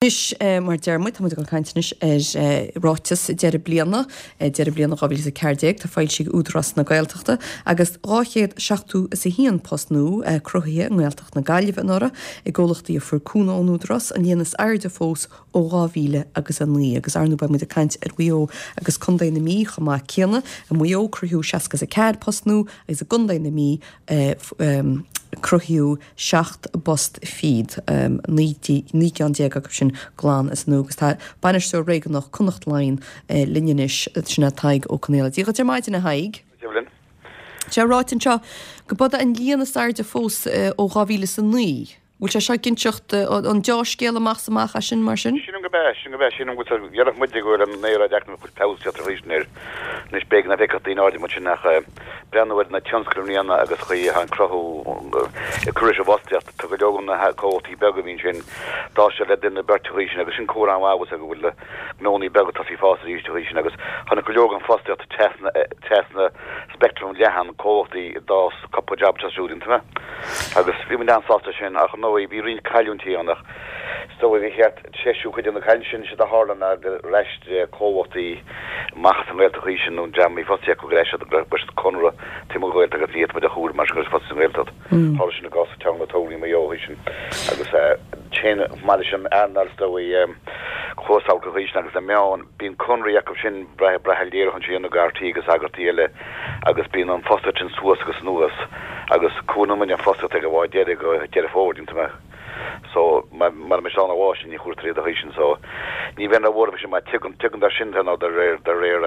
Anois, mar a deir muid, tá muid ag dul ag caint anois ar ráiteas deireadh bliana, deireadh bliana 2014, atá foilsithe ag Údarás na Gaeltachta, agus 271 post nua cruthaithe i nGaeltacht na Gaillimhe anuraidh i gcomhlachtaí a fuair cúnamh ón Údarás, an líon is airde fós ó 2009. Agus ar ndóigh beidh muid ag caint ar Mhaigh Eo agus Contae na Mí chomh maith céanna. I Maigh Eo cruthaíodh 64 post nua agus i gContae na Mí cruthaíodh 17 bpost, 19 gceann acu sin glan as an nua agus tá Bainisteoir Réigiúnach Connacht Line linn anois, sin é Tadhg Ó Conghaile. Dia dhuit ar maidin, a Thaidhg. Dia linn. Tá sé ráite anseo go b'é an líon is airde fós ó 2009. Bhfuil sé seo ag inseacht an deá-scéal amach is amach é sin, mar sin? Sílim gurb ea, sílim gurb ea, sílim go bhfuil, déarfadh muide go bhfuil an aeráid eacnamaíoch go bhfuil feabhas teacht arís air. Anois b'fhéidir nach bhfeicfeadh daoine áirithe muid sin ach breathnú ar na tionscail i mbliana agus chaoi atá an cruthú ag cur leis an bhfostaíocht. Tá go leor de na comhlachtaí beaga a bhí ansin, d'fhás siad le duine nó beirt an chaoi sin agus sin comhartha an-mhaith go bhfuil na gnónnaí beaga ag tosaí fás arís an chaoi sin agus tháinig go leor den fhostaíocht trasna trasna speictream leathan comhlachtaí a d'fhás cúpla jab anseo siúd iontu agus bhí muid an-sásta sin ach ar ndóigh bhí roinnt cailliúintí ann ach is dóigh gur cheart treisiú cuid de na cailliúintí sin siad a tharla ná gur aistrigh comhlachtaí amach as an nGaeltacht an chaoi sin nó an dream a bhí fostaithe acu gur aistrigh go raibh siad conradh taobh amuigh den Ghaeltacht agus ní fhéadfadh muid a chomhaireamh mar sin go raibh siad fostaithe sa nGaeltacht. Tharla sin i gcás Teanga na Tograí i Maigh Eo an chaoi sin agus téann chomh maith leis an earnáil is dóigh closamhairc an chaoi sin agus na meáin, bíonn conraí acu sin brath brath léiriúchán ansin ag RTÉ agus eagraíochtaí eile agus bíonn an fostaíocht sin suas agus anuas agus comhaireann muid an fostaíocht ag an bhfáth deiridh go Deireadh Fómhair, déanta mé. So mara mbeidh siad ann an lá sin ní chomhairtear iad an chaoi sin so ní bheinn róbhuartha faoi sin mar tuigeann tuigeann dar sin nó de réir de réir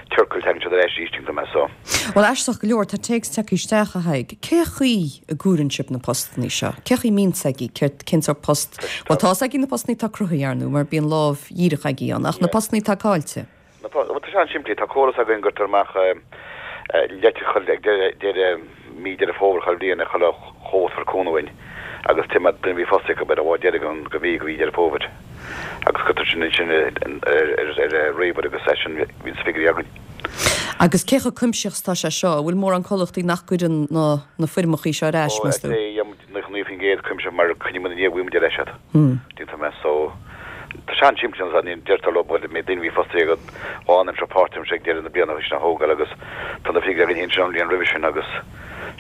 ciorcail tagann siad ar ais arís tuigtear mé so. Bhuel aisteach go leor tá téacs tagtha isteach a Thaidhg. Cé chaoi a gcomhaireann sibh na postannaí seo? Cé chaoi a mbíonn 's agaibh céard cén sórt post bhuel tá's agaibh na postannaí atá cruthaithe ar ndóigh mar bíonn lámh dhíreach agaibh ann ach na postannaí atá caillte? Bhuel, tá sé an-simplí. Tá córas againn go gcuirtear amach leitir chuile ag deireadh mí Deireadh Fómhair chuile bhliain ag chuile chomhlacht a fuair cúnamh uainn agus tá duine a bhí fostaithe acu ar an bhfáth deiridh den mhí go mhí Deireadh Fómhair agus cuirtear sin ansin ar ríomhaire agus é sin bíonn na figiúirí againn. Agus cé chomh cuimsitheach is atá sé seo? An bhfuil mórán comhlachtaí nach gcuireann na foirmeachaí seo ar ais, meas tú? Ó, 99% cuimsitheach mar coinníonn muid i ndiaidh bhfuil muid ar ais iad. Déantar mé so. Tá sé an-simplí an ní deirtear leo bhuel mbeidh daoine a bhí fostaithe agat lánaimseartha páirtaimseartha ag deireadh na bliana sin a thógáil agus tá na figiúirí againn féin an bhliain roimhe sin agus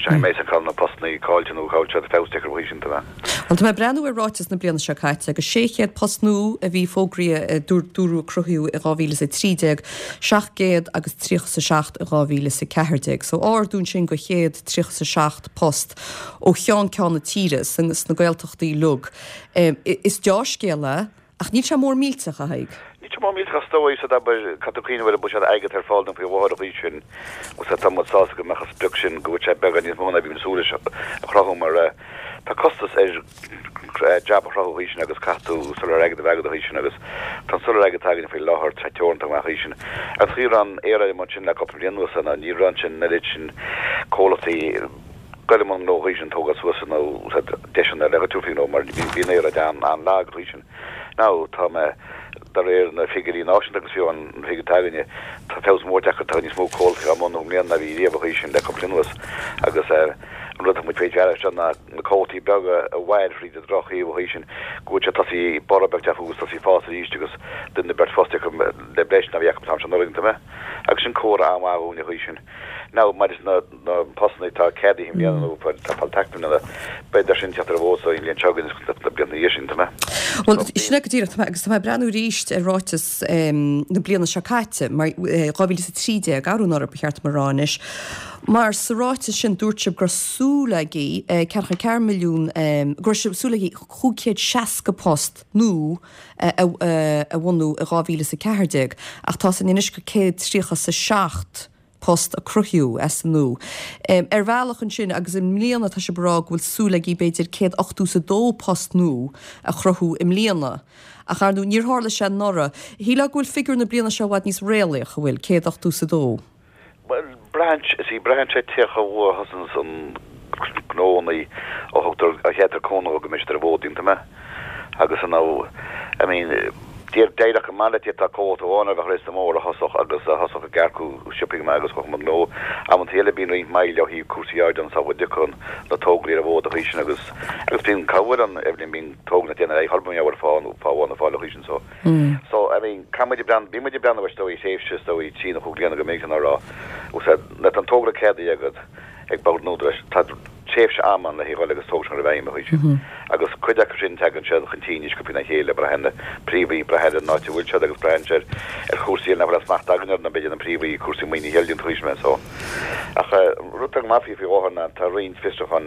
sin é mé cá bhfuil na postannaí caillte nó cá bhfuil siad feabhas deacair faoi sin tá mé. Bhuel tá mé ag breathnú ar ráiteas na bliana seo caite agus 600 post nua a bhí fógraithe dúradh a cruthaíodh i 2013, 700 agus 37 i 2014. So ardú ansin go 137 post. ó cheann ceann na tíre, sna Gaeltachtaí uilig. Is deá-scéal é, ach níl sé mór millteach, a Thaidhg. Níl sé mór millteach is dóigh, so abair, caithfidh tú cuimhneamh ar an buiséad airgid atá ar fáil dúinn faoi láthair an chaoi sin, agus tá muid sásta go mbeadh an sprioc sin, go bhfuil sé beagán níos mó ná bhí muid ag súil leis a chruthú mar tá costas ar jab a chruthú an chaoi sin agus caithfidh tú soláthar airgid a bheith agat an chaoi sin agus tá an soláthar airgid atá againn faoi láthair teoranta go maith an chaoi sin. Agus chaoi a raibh an aeráid amuigh ansin le cúpla bliain anuas ná ní raibh ansin an oiread sin comhlachtaí dul i mbun gnó an chaoi sin tógáil suas nó deiseanna le tabhairt faoi ghnó mar bhí an aeráid an-lag an chaoi sin. Now tá mé de réir na figiúirí náisiúnta agus fiú an figiúr atá againne tá feabhas mór tagtha tá níos mó comhlachtaí á mbunú i mbliana ná bhí riamh an chaoi sin le cúpla bliain anuas agus an rud atá muid faoi deara seo ná na comhlachtaí beaga a mhair thríd an droch-thaobh an chaoi sin go bhfuil sé tosaí borradh beag teacht fúthu agus tosaí fás arís agus duine nó beirt fostaithe acu le breis ná bhí acu an t-am seo anuraidh an t-am agus sin comhartha an-mhaith dhúinn an chaoi sin. Now maidir leis na postanna atá ceadaithe i mbliana nó atá fáil taca i mbliana beidh sin teacht ar an bhfód so an bhliain seo chugainn agus na blianta ina dhiaidh sin tá mé. Bhuel sin é go díreach tá mé agus tá mé ag breathnú arís ar ráiteas na bliana seo caite mar 2013 arú anuraidh ba cheart dom a rá anois Mar sa ráiteas sin dúirt sibh go raibh súil agaibh 44 milliún, go raibh súil agaibh 560 post nua a bhunú i 2014 ach tá sin anois go 137 post a cruthaíodh as an nua. Ar bhealach ansin agus i mbliana tá sibh ag rá go bhfuil súil agaibh b'fhéidir 182 post nua a chruthú i mbliana. Ach ar ndóigh níor tharla sé anuraidh. Shílfeá go bhfuil figiúr na bliana seo i bhfad níos réalaíoch, an bhfuil? 182. Bhuel, braitheann, see, braitheann sé cé chomh luath a thosaíonns an gnónnaí a thugtar, a cheadaítear cúnamh go mbeidh siad ar an bhfód, aontaím é. Agus you know, I mean, D'éireodh go maith leat tá comhlacht amháin a bheadh réasúnta mór a thosódh agus a thosódh ag earcú sciobtha go maith agus chuaigh gnó. Amantaí eile bíonn roinnt moill ó thaobh cúrsaí áirid ann sula dtiocfaidh na tograí ar an bhfód a chaoi sin agus agus bíonn cabhair ann Evelyn bíonn tograí nach déanamh ar aghaidh mar gheall ar fáth fáth amháin nó fáth eile a chaoi sin so so I mean caithfidh muid ag breathnú bíonn muid ag breathnú is dóigh thréimhse is dóigh trí nó chúig bliana go minic ná rá úsáid nuair atá an togra ceadaithe agat ag Bord an Údaráis tá tréimhse ama ann le haghaidh dhul agus togra sin a chur i bhfeidhm a chaoi sin. Agus cuid acu sin tagann siad chun cinn níos sciobtha ná a chéile, braitheann na príomhaí, braitheann ar an áit a bhfuil siad agus braitheann sé ar chúrsaí eile nach bhfuil aon smacht againn orthu, b'fhéidir na príomhaí, cúrsaí maoinithe eile déanta a chaoi sin so. Ach rud atá go maith faoi faoi láthair ná tá roinnt fiosrúchán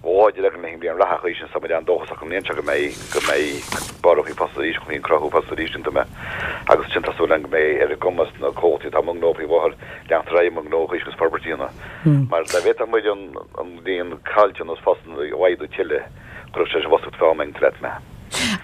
láidir againn le haghaidh an bhliain reatha a chaoi sin so tá muid an-dóchasach an bhliain seo go mbeidh go mbeidh borradh faoi fostaíocht arís, faoin cruthú fostaíocht arís iontu agus sin tá súil againn go mbeidh ar a gcumas na comhlachtaí atá i mbun gnó faoi láthair leanacht ar aghaidh i mbun gnó a chaoi sin agus forbairt a dhéanamh. Mar dá bhféadfadh muid an líon caillteanas postanna a laghdú tuilleadh, chuirfeadh sé leis an bhfostaíocht fá am leat mé.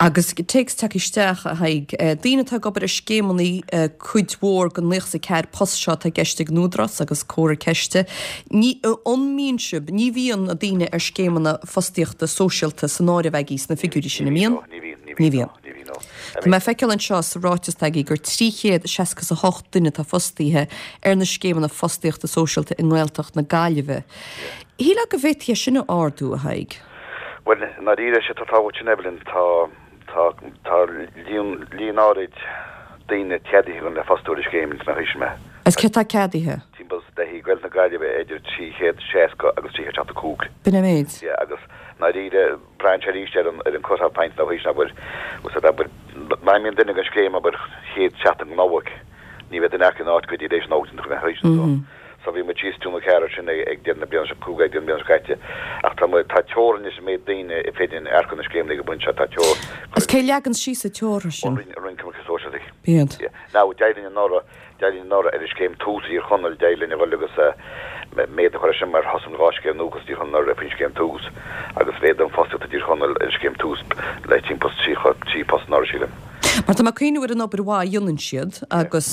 Agus téacs tagtha isteach, a Thaidhg. Daoine atá ag obair ar scéimeanna cuid mhór den 94 post seo atá i gceist ag an Údarás agus comhartha ceiste. Ní, an mbíonn sibh, ní bhíonn na daoine ar scéimeanna fostaíochta sóisialta san áireamh agaibh sna figiúirí sin, an mbíonn? Ní bhíonn, ní bhíonn, ní bhíonn. Ní bhíonn, no. Tá mé ag feiceáil anseo sa ráiteas agaibh gur 368 duine atá fostaithe ar na scéimeanna fostaíochta sóisialta i nGaeltacht na Gaillimhe. Shílfeá go bhféadfaí é sin a ardú, a Thaidhg? Bhuel, i ndáiríre, sé tá tábhacht sin, Evelyn, tá, tá, tá líon, líon áirid daoine ceadaithe againn le fostú ar an scéim ins na haois mé. Agus céard tá ceadaithe? Timpeall le haghaidh Gaeltacht na Gaillimhe idir 360 agus 375. B'in an méid? Yeah, agus i ndáiríre, Braitheann sé arís ar an ar an cut-off point nó thaois abair, úsáid abair, má imíonn duine den scéim abair chéad seachtain den Nollaig, ní bheidh duine acu in áit go dtí tar éis an Nollaig den thaois so. So bhí muid síos Dún na Ceathair sin ag ag deireadh na bliana seo cúig ag deireadh na bliana seo caite ach tá muid tá teorainn leis an méid daoine a féidir linn earcú na scéimeanna ag an bpointe seo tá teor Agus cé leagann síos an teora sin? Roinn Roinn Coimirce Sóisialaí. B'iad. Yeah. Now d'éirigh linn anuraidh D'éirigh linn anuraidh ar an scéim Tús i dTír Chonaill, d'éirigh linn a dhul agus méadú a chur air sin mar thosaigh muid 2 scéim nua i dTír Chonaill anuraidh faoin scéim Tús agus mhéadaigh an fostaíocht i dTír Chonaill ar an scéim Tús le timpeall 33 post anuraidh, sílim. Mar tá mé ag cuimhneamh ar an obair mhaith a dhéanann siad agus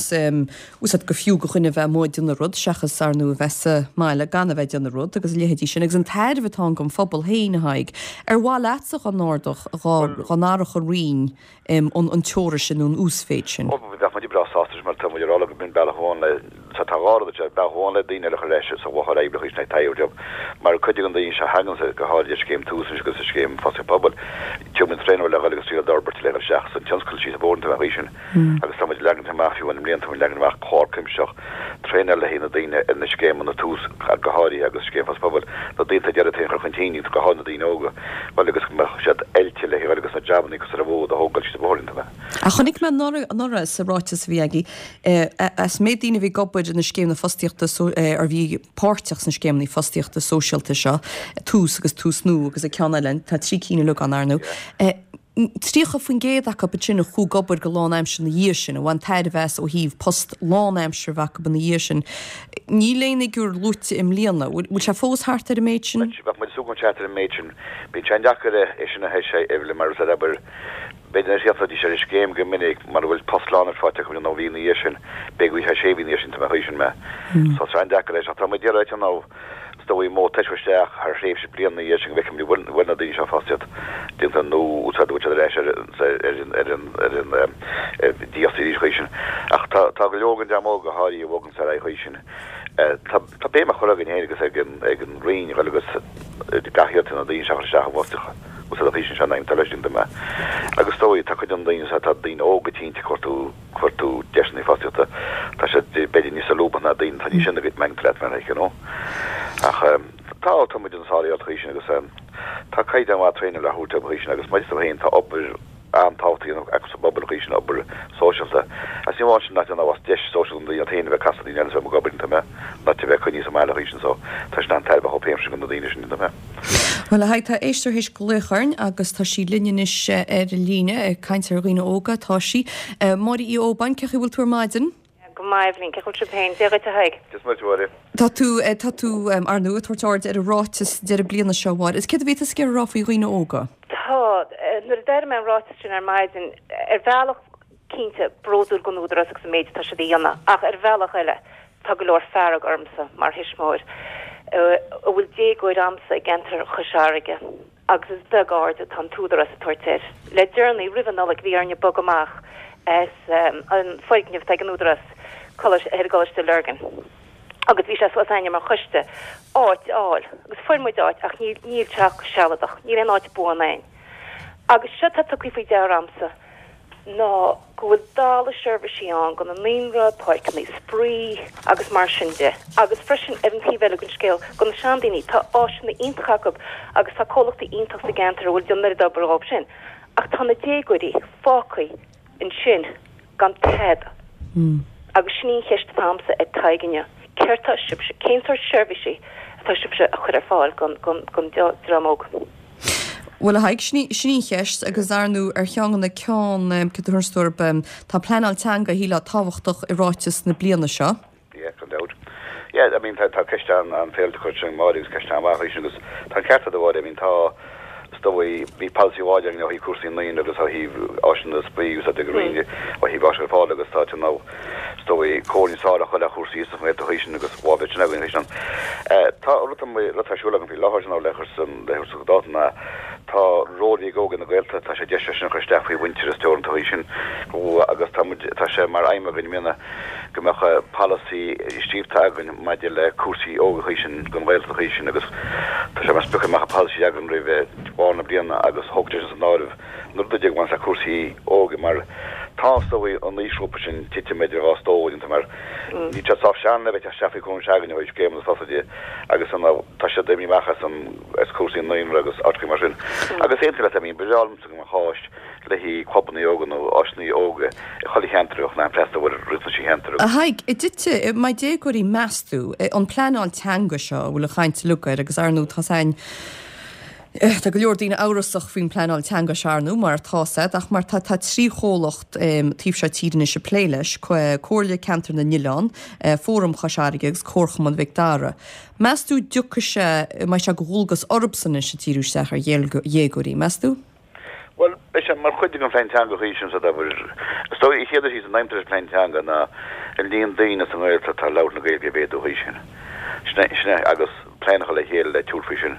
úsáid gur fiú do dhuine a bheith amuigh ag déanamh rud seachas ar ndóigh a bheith sa mbaile gan a bheith ag déanamh rud agus a leithéidí sin agus an tairbhe atá ann don phobal féin a Thaidhg. Ar mhaith leatsa dá n-ardódh, dá n-athródh an Roinn an teora sin nó an uasmhéid sin. Ó, bheadh muid breá sásta leis mar tá muid ag rá leo go mbíonn bealach amháin le, tá dhá rud anseo, bealach amháin le daoine eile a chur ar ais sa lucht oibre chaoi sin ag job mar cuid de na daoine seo a thagann sa, go háirid ar scéim Tús anois agus ar scéim Fostaíocht Pobail, tugann muid traenáil le dhul agus triail d'fhorbairt le dhul isteach san tionscal síos an bóthar an chaoi sin agus tá muid ag leagan amach fiú amháin i mbliana tá muid ag leagan amach clár cuimsitheach traenáil le haghaidh na daoine ar na scéimeanna Tús go háirithe agus scéim Fostaíocht Pobail, na daoine atá ag iarraidh iad féin a chur chun cinn, go háirithe na daoine óga, bhuel agus go mbeadh siad oilte le haghaidh agus na jabannaí cosúil le bhód a thógáil síos an bóthar iontu. Ach chonaic mé anuraidh sa ráiteas a bhí agaibh, as méid daoine a bhí ag obair na scéimeanna fostaíochta or bhí páirteach sna scéimeanna fostaíochta sóisialta seo, Tús agus Tús Nua agus an ceann eile, tá trí cinn uilig ann ar ndóigh. 30% acu ansin a chuaigh ag obair go lánaimseartha ina dhiaidh sin, a bhain tairbhe as ó thaobh post lánaimseartha a bheith acu ina dhiaidh sin. Níl aon fhigiúr luaite i mbliana. Bhfuil sé fós thart ar an méid sin? Bheadh muid ag súil go mbeadh sé thart ar an méid sin. Bíonn sé an-deacair é sin a thomhas, Evelyn, mar is ea, abair, b'fhéidir nach dtiocfaidís ar an scéim go minic mura bhfuil post lánaimseartha faighte acu nó mhí ina dhiaidh sin, b'fhéidir go bhfuil sé sé mhí ina dhiaidh sin, tá mé chaoi sin mé. So tá sé an-deacair é sin. Ach tá muid ag iarraidh déanamh Is dóigh modh toiseacht isteach thar thréimhse bliana ina dhiaidh sin go bhfeicfimid an bhfuil na daoine seo fostaíocht déanta nó úsáid a bhfuil siad ar ais ar ar an ar an dífhostaí arís chaoi sin. Ach tá tá go leor den dream óg go háirithe a bhogann ar aghaidh chaoi sin. Tá tá béim á chur againn féin agus ag an ag an Roinn a dhul agus gach iarracht na daoine seo a chur isteach i bhfostaíocht úsáid chaoi sin seo an aidhm atá leis sin dom. Agus is dóigh tá cuid de na daoine seo tá daoine óga cinnte cuartú cuartú deiseanna fostaíochta, tá siad b'fhéidir níos solúbtha ná daoine atá níos sine go mbeidh leat mar you know. Ach tá, tá muid ina sáréalt chaoi sin agus tá caighdeán mhaith traenáil á thabhairt dóibh chaoi sin agus maidir leo féin tá obair an-tábhachtach a dhéanamh acu sa bpobal chaoi sin, obair sóisialta. Agus ní amháin sin nach déanamh as deis sóisialta na daoine féin a bheith ag casadh daoine eile is a bheith ag obair iontu mé, ná a bheith coinnithe sa mbaile chaoi sin so tá sin an-tairbheach dóibh féin sin do na daoine sin iontu mé. Bhuel, a Thaidhg, tá éisteoir théis glaoch orainn agus tá sí linn anois ar an líne, ag caint ar dhaoine óga atá sí. Máire Uí Óbáin, cén chaoi a bhfuil tú ar maidin? Go maith, Eibhlín, cén chaoi a bhfuil sibh féin? Dia dhuit, a Thaidhg. Dia is Muire duit, a Mháire. Tá tú, tá tú, ar ndóigh, ag tabhairt aird ar an ráiteas deireadh bliana seo, a Mháire. Is céard a bhí tusa ag iarraidh a rá faoi dhaoine óga? Tá, nuair a d'airigh mé an ráiteas sin ar maidin, ar bhealach, cinnte, bródúil den Údarás agus an méid atá siad a dhéanamh, ach ar bhealach eile, Tá go leor fearg ormsa mar thuismitheoir a bhfuil déagóir a'msa i gceantar Chois Fharraige. Agus is beag aird atá an tÚdarás ag tabhairt air. Le deireanaí, roimh an Nollaig, bhí orainne bogadh amach as an foirgneamh atá ag an Údarás ar an gColáiste Lurgan agus bhí sé suas againne mar choiste áit a fháil agus fuair muid áit ach níl níl sé ach sealadach, níl aon áit buan againn. Agus seo atá tugtha faoi deara a'msa ná go bhfuil dalladh seirbhísí ann do na naíonra, páirceanna spraoi agus mar sin de. Agus freisin ar an taobh eile den scéal, do na seandaoine, tá áiseanna iontacha acu agus tá comhlachtaí iontach sa gceantar a bhfuil ag déanamh an oiread obair dhóibh sin. Ach tá na déagóirí fágtha ansin gan tada. Agus sin í an cheist atá a'msa ar Tadhg inniu, céard tá sibhse, cén sórt seirbhísí atá sibhse a chur ar fáil don dream óg? Bhuel, a Thaidhg, sin í, sin í an cheist agus ar ndú ar cheann de na ceann, céard a thabharfas tú orthu, tá pleanáil teanga, shílfeá, tábhachtach i ráiteas na bliana seo. Yeah, gan dabht. Yeah, I mean, tá, tá ceist an-fhéilte curtha ag Máire agus ceist an-mhaith í sin agus tá an ceart agat a Mháire, I mean, tá, is dóigh, bhí polasaí amháin againn ó thaobh cúrsaí naíonra agus ó thaobh áiseanna spraoi agus a roinne ó thaobh áiseanna ar fáil agus tá, you know, is dóigh, comhairle níos fearr a chur le cúrsaí sa nGaeltacht í sin agus bhá bheith sin againn í sin. Tá rud rud atá ar siúl agam faoi láthair sin le cur san le cur sa dáta ná tá ról ag óige na Gaeltachta tá sé deis sin a chur isteach faoi Mhuintearas Teoranta í sin agus tá muid tá sé mar aidhm againn i mbliana go mbeadh polasaí scríobhta againn maidir le cúrsaí óige í sin don Ghaeltacht í sin agus tá sé mar sprioc go mbeadh polasaí againn roimh bharr na bliana agus thógfaidh sé sin san áireamh na rudaí a bhaineann le cúrsaí óige mar tá is dóigh an aoisghrúpa sin tite b'fhéidir dhá stór iontu mar níl siad sách sean le bheith ag teacht isteach faoi chúram s'againne ó thaobh scéimeanna sochair de agus an tá siad imithe amach as an as cúrsaí naíonra agus áiteacha mar sin. Agus aontaím leat I mean ba bhreá liomsa go mbeadh áis le haghaidh clubanna óga nó áiseanna óga i chuile cheantar a bheadh in ann freastal ar riachtanais an cheantair A agus. Thaidhg, an dtitfidh, mbeidh déagóirí meas tú, an pleanáil teanga seo a bhfuil an chaint uilig air agus ar ndú tá 's a'inn, Tá go leor daoine amhrasach faoin bpleanáil teanga seo, ar ndú, mar atá 's a'd, ach mar tá tá 3 chomhlacht taobh seo tíre anois ag plé leis, Comhairle Ceantar na nOileán, Fóram Chois Fharraige agus Comharchumann Mhic Dara. Meas tú dtiocfaidh sé, mbeidh sé de dhualgas orthusan anois ag díriú isteach ar dhéagóirí, meas tú? Bhuel, beidh sé mar chuid den phlean teanga chuí sin sa dtaobh. Is dóigh, an chéad rud is aidhm leis an phlean teanga ná an líon daoine sa nGaeltacht atá ag labhairt na Gaeilge a mhéadú chuí sin. Sin é, sin é, agus. plean a chur le chéile le tabhairt faoi sin.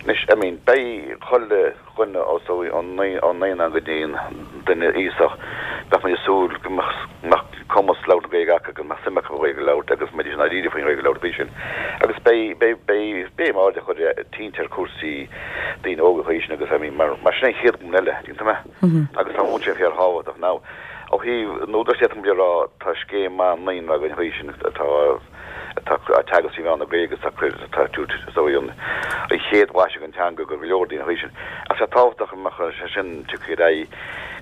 Anois, I mean, beidh chuile dhuine os ón naíonán go dtí an duine aosach, bheadh muid ag súil go mbeadh cumas labhairt na Gaeilge acu, go mbeadh suim acu an Ghaeilge a labhairt agus go mbeidís i ndáiríre faoin Ghaeilge a labhairt faoi sin. Agus beidh, beidh, beidh béim aird á chur cinnte ar chúrsaí daoine óga faoi sin agus, I mean, mar, mar sin é an chéad ghlúin eile, tuigeann tú mé? Agus tá an mhúinteoir fíorthábhachtach. Now, ó thaobh an Údaráis d'fhéadfadh muid a rá, tá scéim maith naíonra againn faoi sin atá, atá ag teagasc trí mheán na Gaeilge agus atá ag tabhairt is dóigh an chéad bhlaiseadh den teanga go go leor daoine chuí sin. Ach sé tábhachtach go mbeadh sé sin tiocfaidh ar aghaidh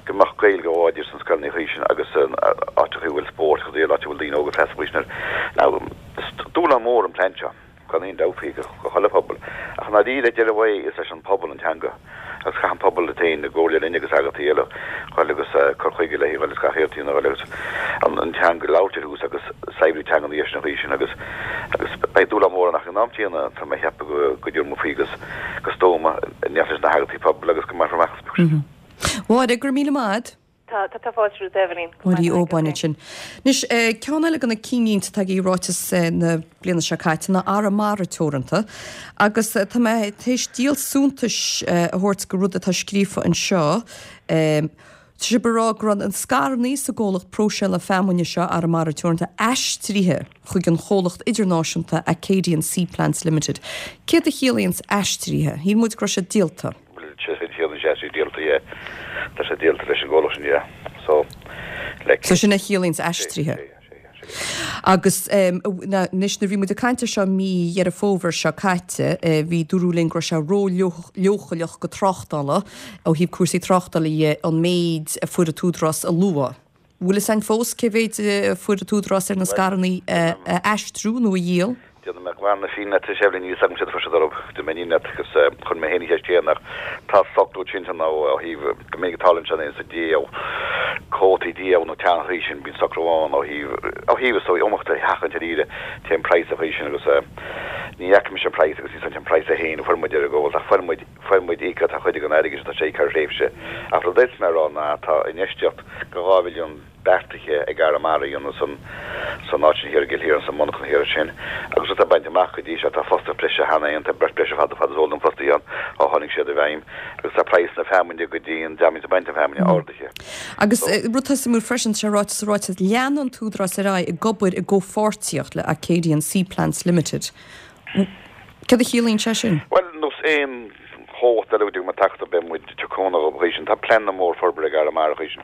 go mbeadh Gaeilge láidir sna scoileanna chuí sin agus áiteacha a bhfuil spórt agus áit a bhfuil daoine óga freastal chuí sin air. Now, is dúshlán mór an plean seo. Gan aon dabht faoi go chuile phobal. Ach i ndáiríre, deireadh an lae, is leis an pobal an teanga. Agus caithfidh an pobal iad féin i gcomhairle linn agus eagraíochtaí eile dhul agus cur chuige léi dhul agus gach iarracht a dhéanamh dhul agus an teanga a labhairt ar thús agus saibhriú teanga na dhiaidh sin an chaoi sin agus agus beidh dúshlán mór ann ach ag an am céanna tá mé ag ceapadh go go dtabharfaidh muid faoi agus go stuama in éineacht leis na heagraíochtaí pobail agus go mbainfear amach an sprioc sin. Mháire, go raibh míle maith agat. Tá, tá, tá fáilte romhat, Eibhlín. Máire Uí Óbáin ansin. Anois, ceann eile de na cinnlínte atá i ráiteas na bliana seo caite ná Arramara Teoranta. Agus tá mé tar éis díol suntais a thabhairt go rud atá scríofa anseo. Tá sibh ag rá go raibh an scaireanna sa gcomhlacht próiseála feamainne seo, Arramara Teoranta, aistrithe chuig an chomhlacht idirnáisiúnta Acadian Seaplants Limited. Céard a chiallaíonns aistrithe? Shíl muid go raibh siad díolta. Bhuel, sé sin ciallaíonn sé, sé díolta, yeah. Tá sé díolta leis an gcomhlacht sin, yeah. So, like. So sin a chiallaíonns aistrithe. Sé, sé, sé, sé. Agus anois nuair a bhí muid ag caint ar seo mí Dheireadh Fómhair seo caite, bhí dúradh linn go raibh sé ró-leochaileach go tráchtála, ó thaobh cúrsaí tráchtála dhe, an méid a fuair an tÚdarás a lua. Bhfuil fhios a'inn fós cé mhéid a fuair an tÚdarás ar na scaireanna a aistriú nó a dhíol? Déanfaidh mé glan na fírinne leat, a Eibhlín, níl fhios agam céard a fuair siad orthu, déanfaidh mé an fhírinne leat agus chuir mé féin an cheist chéanna ach tá socrú cinnte ann ó thaobh go minic a tarlaíonn sé sa díol, cuótaí díol nó teangacha sin, bíonn socrú ann ó thaobh ó thaobh is dóigh iomaíocht a sheachaint ar iarraidh, téann praghas a chaoi sin agus. Ní fhaca mise an praghas agus ní an praghas é féin a fuair muid ar an gcomhlacht ach fuair muid, fuair muid íoctha, tá cuid den airgead sin, tá sé íoctha thar thréimhse. Ach rud a d'fhéadfadh mé a rá ná tá infheistíocht de 2 mhilliún beartaithe ag Arramara a dhéanamh san, san áit sin thiar i gCill Chiaráin, sa monarchan thiar ansin agus rud atá bainte amach go dtí seo, tá fostaíocht breise cheana féin, tá beirt breise fad, fad is eol dom fostaithe ann ó tháinig siad i bhfeidhm agus tá praghas na feamainne go dtí an dream a bhíonns ag baint na feamainne ardaithe. Agus rud atá suimiúil freisin, tá sé ráite sa ráiteas, lean an tÚdarás ar aghaidh ag obair i gcomhpháirtíocht le Acadian Seaplants Limited. Céard a chiallaíonn sé sin? Bhuel, nós aon chomhlacht eile go dtig muid teacht beidh muid ag tabhairt cúnamh dhóibh an chaoi sin. Tá pleananna mór forbartha ag Arramara an chaoi sin.